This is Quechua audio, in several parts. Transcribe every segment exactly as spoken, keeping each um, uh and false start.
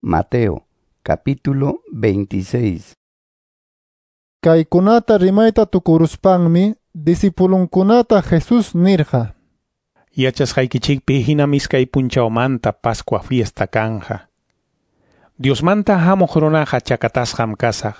Mateo, capítulo veintiséis. Kaykunata rimayta tukuruspanmi disipulunkunata Jesús nirqa: Yachasqaykichikpi hinam iskay punchawmanta Pascua fiesta kanja. Diosmanta hamuq runaqa chakatasqam kasaq.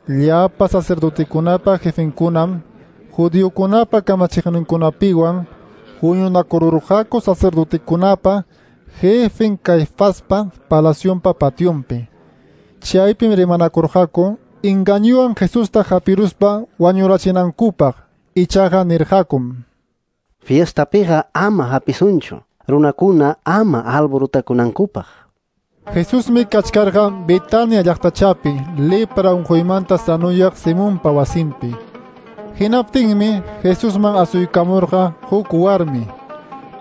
Llapa sacerdotekunapa jefenkunam judiokunapa kamachiqninkunapiwan huñunakururqaku sacerdotekunapa jefen Caifaspa palacionpa pationpi. Chaypim rimanakurqaku engañuwan Jesusta hapiruspa wañurachinankupaq. Ichaqa nirqakum: Fiestapiqa ama hapisunchu, runakuna ama alborutakunankupaq. Jesusmi kachkarqa Betania llaqtachapi lepra unquymanta sanuyaq Simonpa wasinpi. Hinaptinmi Jesusman asuykamurqa huk warmi.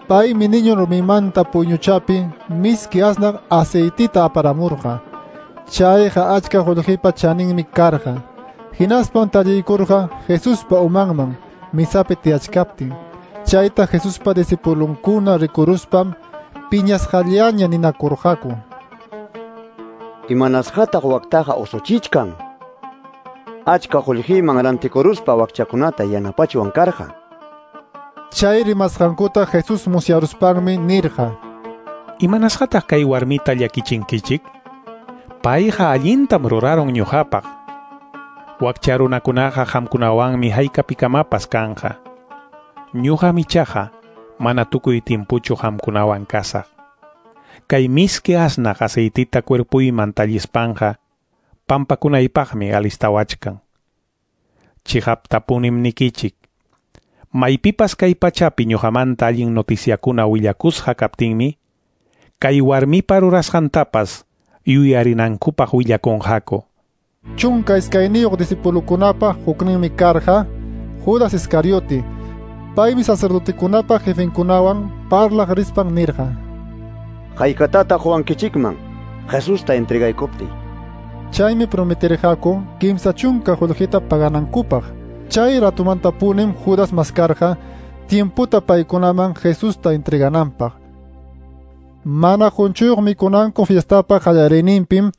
Paymi niño rumimanta puyñuchapi miski asnaq aceitita aparamurqa. Chayqa achka qullqipa chaninmi karqa. Hinaspan talliykurqa Jesuspa umanman misapi tiyachkaptin. Chayta Jesuspa disipulunkuna rikuruspam piñasqallaña ninakurqaku: Imanasqataq waktaqa usuchichkan? Achka qullqiman rantikuruspa wakchakunata yanapachwan karqa. Chay rimasqankuta Jesús musyaruspanmi nirqa: Imanasqataq kay warmita llakichinkichik? Payqa allintam rurarun ñuqapaq. Wakcha runakunaqa qamkunawanmi haykapikamapas kanja. Ñuqam ichaqa mana tukuy timpuchu qamkunawan kasaq. Kay miski asnaq aceitita cuerpuyman tallispanqa pampakunaypaqmi alistawachkan. Chiqaptapunim nikichik: maypipas kay pachapi ñuqamanta allin noticiakuna willakusqa kaptinmi, kay warmipa rurasqantapas yuyarinankupaq willakunqaku. Chunka iskayniyuq disipulukunapa hukninmi karqa Judas Iscariote. Paymi sacerdotekunapa jefenkunawan parlaq rispan nirqa: Haykatataq quwankichikman Jesusta entregaykuptiy? Chaymi prometerqaku kimsa chunka qullqita paganankupaq. Chay ratumantapunim Judas maskarqa tiemputa paykunaman Jesusta entregananpaq. Mana qunchuyuq mikunanku fiestapa qallariyninpim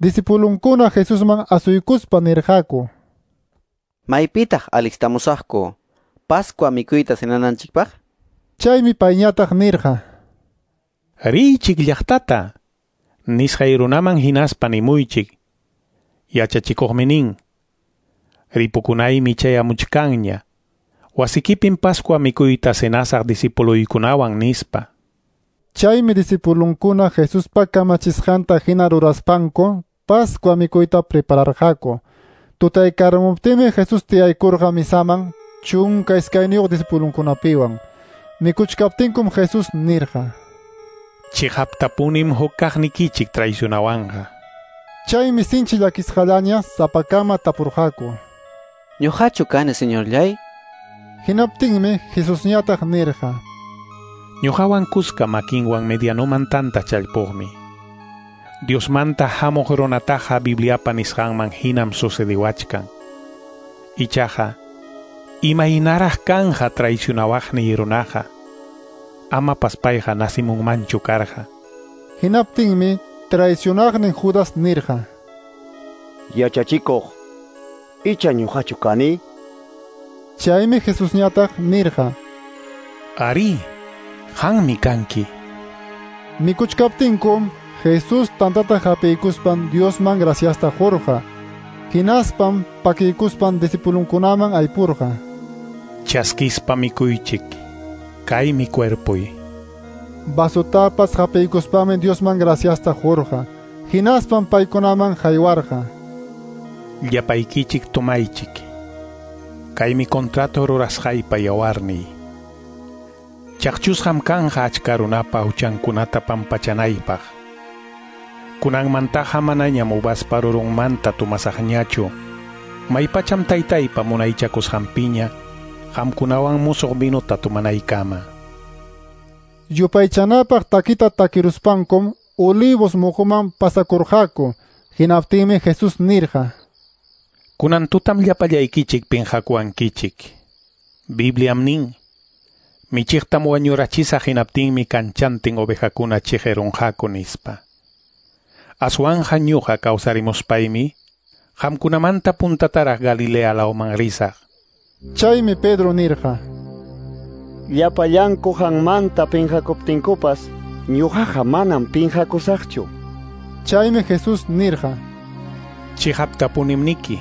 disipulunkuna Jesusman asuykuspa nirqaku: Maypitaq alistamusaqku Pascua mikuyta cenananchikpaq? Chaymi payñataq nirqa: Riychik llaqtata, nisqay runaman hinaspa nimuychik. Yachachikuqmi nin: ripukunaymi chayamuchkanña. Wasikipim Pascua mikuyta cenasaq disipuluykunawan nispa. Chaymi disipulunkuna Jesuspa kamachisqanta hina ruraspanku Pascua mikuyta prepararqaku. Tutaykaramuptinmi Jesús tiyaykurqa misaman chunka iskayniyuq disipulunkunapiwan. Mikuchkaptinkum Jesús nirqa: Chiqaptapunim huk kaqnikichik traicionawanqa. Chaymi sinchi llakisqallaña sapakama tapurqaku: Ñuqachu kani, señorllay? Hinaptinmi Jesusñataq nirqa: Ñuqawan kuska makinwan medianoman tanta challpuqmi. Diosmanta hamuq runataqa Bibliapa nisqanman hinam sucediwachkan. Ichaqa, imaynaraq kanja traicionawaqniy runaqa? Amapas payqa nasimunmanchu karqa. Hinaptinmi traicionaqnin Judas nirqa: Yachachikuq, icha ñuqachu kani? Chaymi Jesusñataq nirqa: Ari, qanmi kanki. Mikuchkaptinkum Jesús tantata hapiykuspan Diosman graciasta qurqa. Hinaspam pakiykuspan disipulunkunaman aypurqa: Chaskispa mikuychik, kaymi cuerpuy. Vasutapas hapiykuspanmi Diosman graciasta qurqa. Hinaspam paykunaman haywarqa: Llapaykichik tomaychik, kaymi contrato rurasqaypa yawarniy. Chaqchusqam kanja achka runapa huchankunata pampachanaypaq. Kunanmantaqa manañam uvaspa rurunmanta tumasaqñachu. Maypacham taytaypa munaychakusqanpiña qamkunawan musuq vinuta tumanaykama. Yupaychanapaq takita takiruspankum Olivos muquman pasakurqaku. Hinaptinmi Jesús nirqa: Kunan tutam llapallaykichik pinqakuwankichik. Bibliam nin: Michiqtam wañurachisaq hinaptinmi kanchantin ovejakuna chiqirunqaku nispa. Aswanja ñuqa kawsarimuspaymi qamkunamanta puntataraq Galilea lawman risaq. Chaymi Pedro nirqa: Llapallanku qanmanta pinqakuptinkupas ñuqaqa manam pinqakusaqchu. Chaymi Jesús nirqa: Chiqaptapunim niki,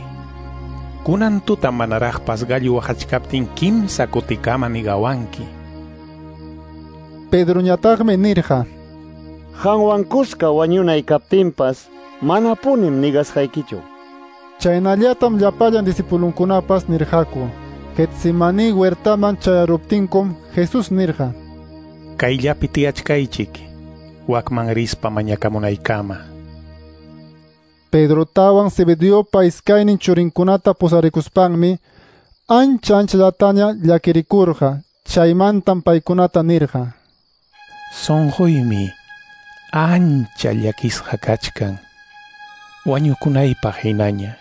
kunan tuta manaraqpas gallo waqachkaptin kimsa kutikama nigawanki. Pedroñataqmi nirqa: Qanwan kuska wañunay kaptinpas manapunim nigasqaykichu. Chaynallatam llapallan discipulunkunapas nirqaku. Getsemaní huertaman chayaruptinkum Jesús nirqa: Kayllapi tiyachkaychik, wakman rispa mañakamunaykama. Pedrotawan Zebedeopa iskaynin churinkunata pusarikuspanmi ancha anchallataña llakirikurqa. Chaymantam paykunata nirqa: Sunquymi ancha llakisqa kachkan, wañukunaypaq hinaña.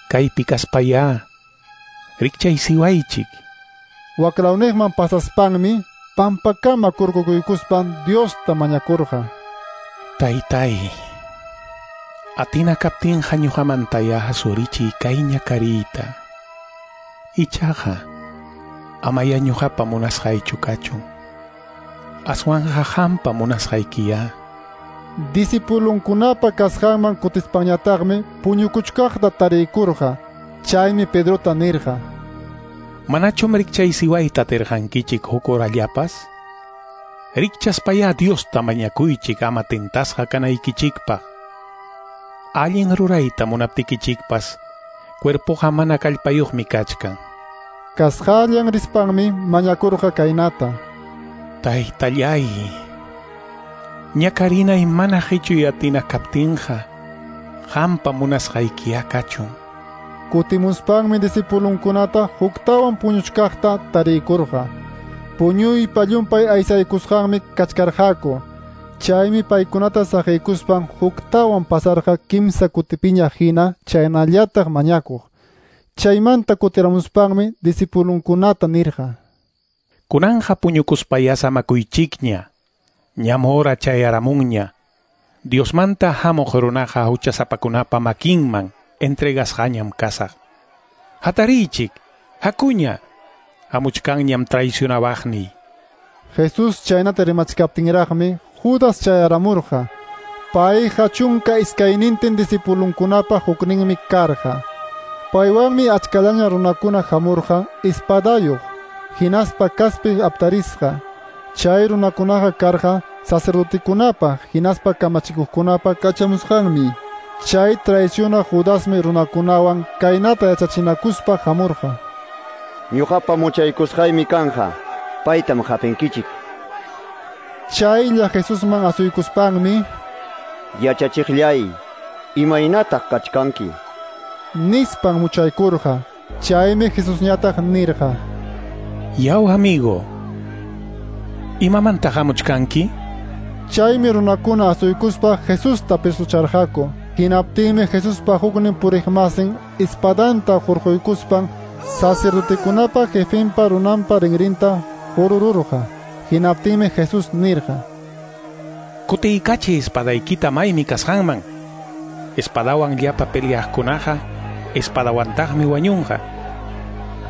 Kaypi kaspayá rikchaysiwaychik. Waklawniqman pasaspanmi pampakama kurkukuykuspan Diosta mañakurqa: Taytay, atina kaptinqa ñuqamantayá asurichiy kay ñakariyta. Ichaqa amaya ñuqapa munasqaychu kachun, aswanqa qampa munasqaykiyá. Discipulunkunapa kasqanman kutispañataqmi puñukuchkaqta tariykurqa. Chaymi Pedrota nirqa: Manachum rikchaysiwayta atirqankichik huk horallapas? Rikchaspayá Diosta mañakuychik ama tentasqa kanaykichikpaq. Allin rurayta munaptikichikpas cuerpoqa mana kallpayuqmi kachkan. Kasqallan rispanmi mañakurqa kaynata: Taytallay, ñakarinay mana qichuy atina kaptinqa qampa munasqaykiyá kachun. Kutimuspanmi discipulunkunata huktawan puñuchkaqta tariykurqa. Puñuypa llumpay aysaykusqanmi kachkarqaku. Chaymi paykunata saqiykuspan huktawan pasarqa kimsa kutipiña hina chaynallataq mañakuq. Chaymanta kutiramuspanmi discipulunkunata nirqa: Kunanja puñukuspayá samakuychikña, ñam hora chayaramunña. Diosmanta hamuq runaqa huchasapakunapa makinman entregasqañam kasaq. Hatariychik, hakuña, hamuchkanñam traicionawaqniy. Jesús chaynata rimachkaptinraqmi Judas chayaramurqa. Payqa chunka iskaynintin discipulunkunapa hukninmi karqa. Paywanmi achkallaña runakuna hamurqa espadayuq, hinaspa kaspi aptarisqa. Chay runakunaqa karqa sacerdotekunapa hinaspa kamachikuqkunapa kachamusqanmi. Chay traiciona Judasmi runakunawan kaynata yachachinakuspa hamurqa: Ñuqapa muchaykusqaymi kanja, paytam hapinkichik. Chaylla Jesusman asuykuspanmi: Yachachiqllay, imaynataq kachkanki? nispan muchaykurqa. Chaymi Jesusñataq nirqa: Yaw amigo, imamanta hamuchkanki? Chaymi runakuna asuykuspa Jesusta presucharqaku. Hinaptinmi Jesuspa huknin puriqmasin espadanta hurquykuspan sacerdotekunapa jefenpa runanpa rinrinta hurururqa. Hinaptinmi Jesús nirqa: Kutiykachi espadaykita maymi kasqanman. Espadawan llapa peleaqkunaqa espadawantaqmi wañunqa.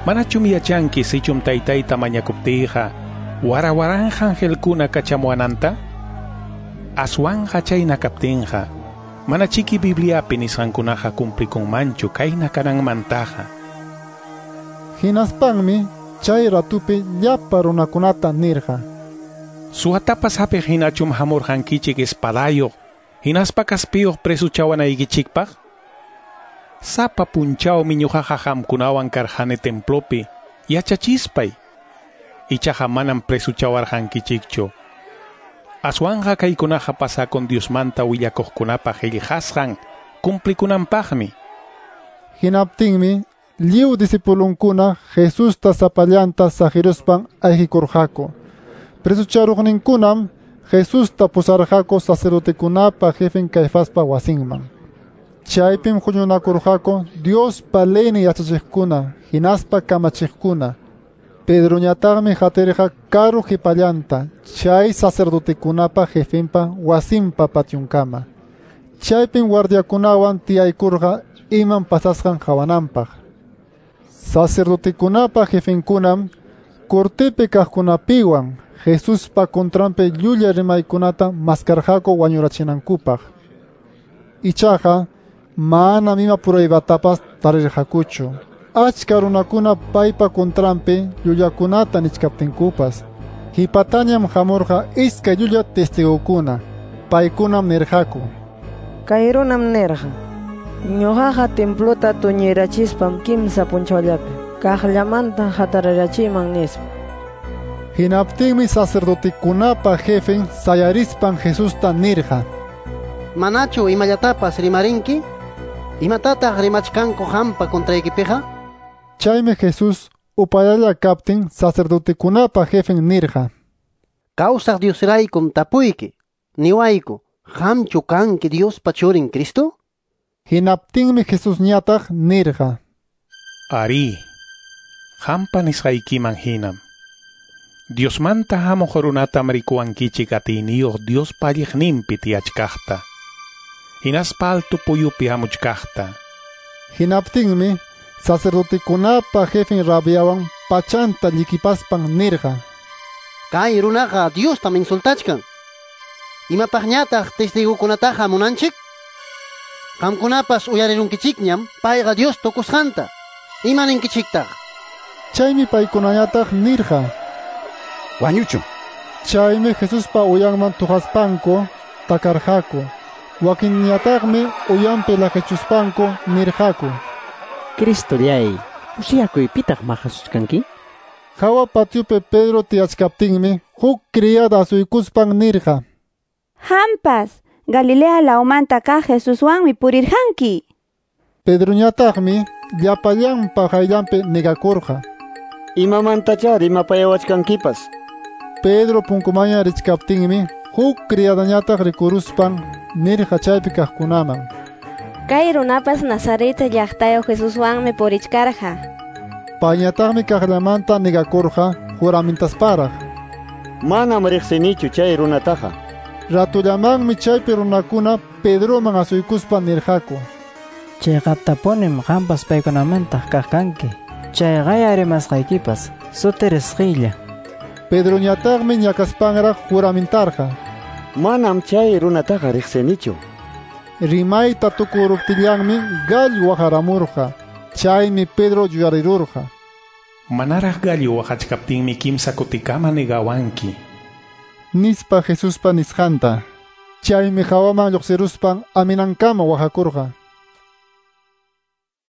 Manachum yachanki sichum taytayta mañakuptiyqa wara waranja angelkuna kachamuwananta? Aswanja chayna kaptinqa manachiki Bibliapi nisqankunaqa cumplikunmanchu kayna kananmantaqa. Hinaspanmi chay ratupi llapa runakunata nirqa: Suwatapas hapiq hinachum hamurqankichik espadayuq hinaspa kaspiyuq presuchawanaykichikpaq? Sapa punchawmi ñuqaqa qamkunawan karqani templopi yachachispay, ichaqa manam presuchawarqankichikchu. Aswanja kaykunaqa pasakun Diosmanta willakuqkunapa qillqasqan cumplikunanpaqmi. Hinaptinmi lliw discipulunkuna Jesusta sapallanta saqiruspan ayqikurqaku. Presucharuqninkunam Jesusta pusarqaku sacerdotekunapa jefen Caifaspa wasinman. Chaypim huñunakurqaku Diospa leynin yachachiqkuna hinaspa kamachiqkuna. Pedroñataqmi hatirqa karu qipallanta chay sacerdotekunapa jefenpa wasinpa patiunkama. Chaypim guardiakunawan tiyaykurqa imam pasasqan qawananpaq. Sacerdotekunapa jefenkunam cortepi kaqkunapiwan Jesuspa contranpi llulla rimaykunata maskarqaku wañurachinankupaq. Ichaqa manam ima pruebatapas tarirqakuchu. Achka runakuna paypa contranpi llullakunata nichkaptinkupas. Hipatañam hamurqa iskay llulla testigokuna. Paykunam nirqaku: Kay runam nirqa: Ñuqaqa templota tuñirachispam kimsa punchawllapi kaqllamanta hatarirachiman, nispa. Hinaptinmi sacerdotekunapa jefen sayarispan Jesusta nirqa: Manachu imallatapas rimarinki? Imatataq rimachkanku qampa contraykipiqa? Chaymi Jesús upallalla kaptin sacerdotekunapa jefen nirqa: Kawsaq Diosraykum tapuyki, niwayku, qamchu kanki Diospa churin Cristo? Hinaptinmi Jesusñataq nirqa: Arí, qampa nisqaykiman hinam. Diosmanta hamuq runatam rikuwankichik atiyniyuq Diospa alliqninpi tiyachkaqta, hinaspa alto puyupi hamuchkaqta. Hinaptinmi sacerdotekunapa jefen rabiawan pachanta llikipaspan nirqa: Kay runaqa Diostam insultachkan. Imapaqñataq testigukunataqa munanchik? Qamkunapas uyarirunkichikñam payqa Dios tukusqanta. Ima ninkichiktaq? Chaymi paykunañataq nirqa: Wañuchun. Chaymi Jesuspa uyanman tuqaspanku takarqaku. Wakinñataqmi uyanpi laqechuspanku nirqaku: Cristollay, usiyakuy pitaq maqasuchkanki? Hawa patiopi Pedro tiyachkaptinmi huk criada asuykuspan nirqa: Hampas, Galilea lawmanta kaq Jesuswanmi purirqanki. Pedroñataqmi llapallanpa qayllanpi negakurqa: Imamantachá rimapayawachkankipas. Pedro punkumanña richkaptinmi huk criadañataq rikuruspan nirqa chaypi kaqkunaman: Kay runapas Nazaret llaqtayuq Jesuswanmi purichkarqa. Payñataqmi kaqllamanta negakurqa juramentasparaq: Manam riqsinichu chay runataqa. Ratullamanmi chaypi runakuna Pedroman asuykuspa nirqaku: Chayqatapunim qampas paykunamanta kaq kanki. Chayqaya rimasqaykipas sutirisqilla. Pedroñataqmi ñakaspanraq juramentarqa: Manam chay runataqa riqsinichu. Rimayta tukuruptillanmi gallo waqaramurqa. Chaymi Pedro yuyarirurqa: Manaraq gallo waqachkaptinmi kimsa kutikama negawanki, nispa Jesuspa nisqanta. Chaymi hawaman lluqsiruspan aminankama waqakurqa.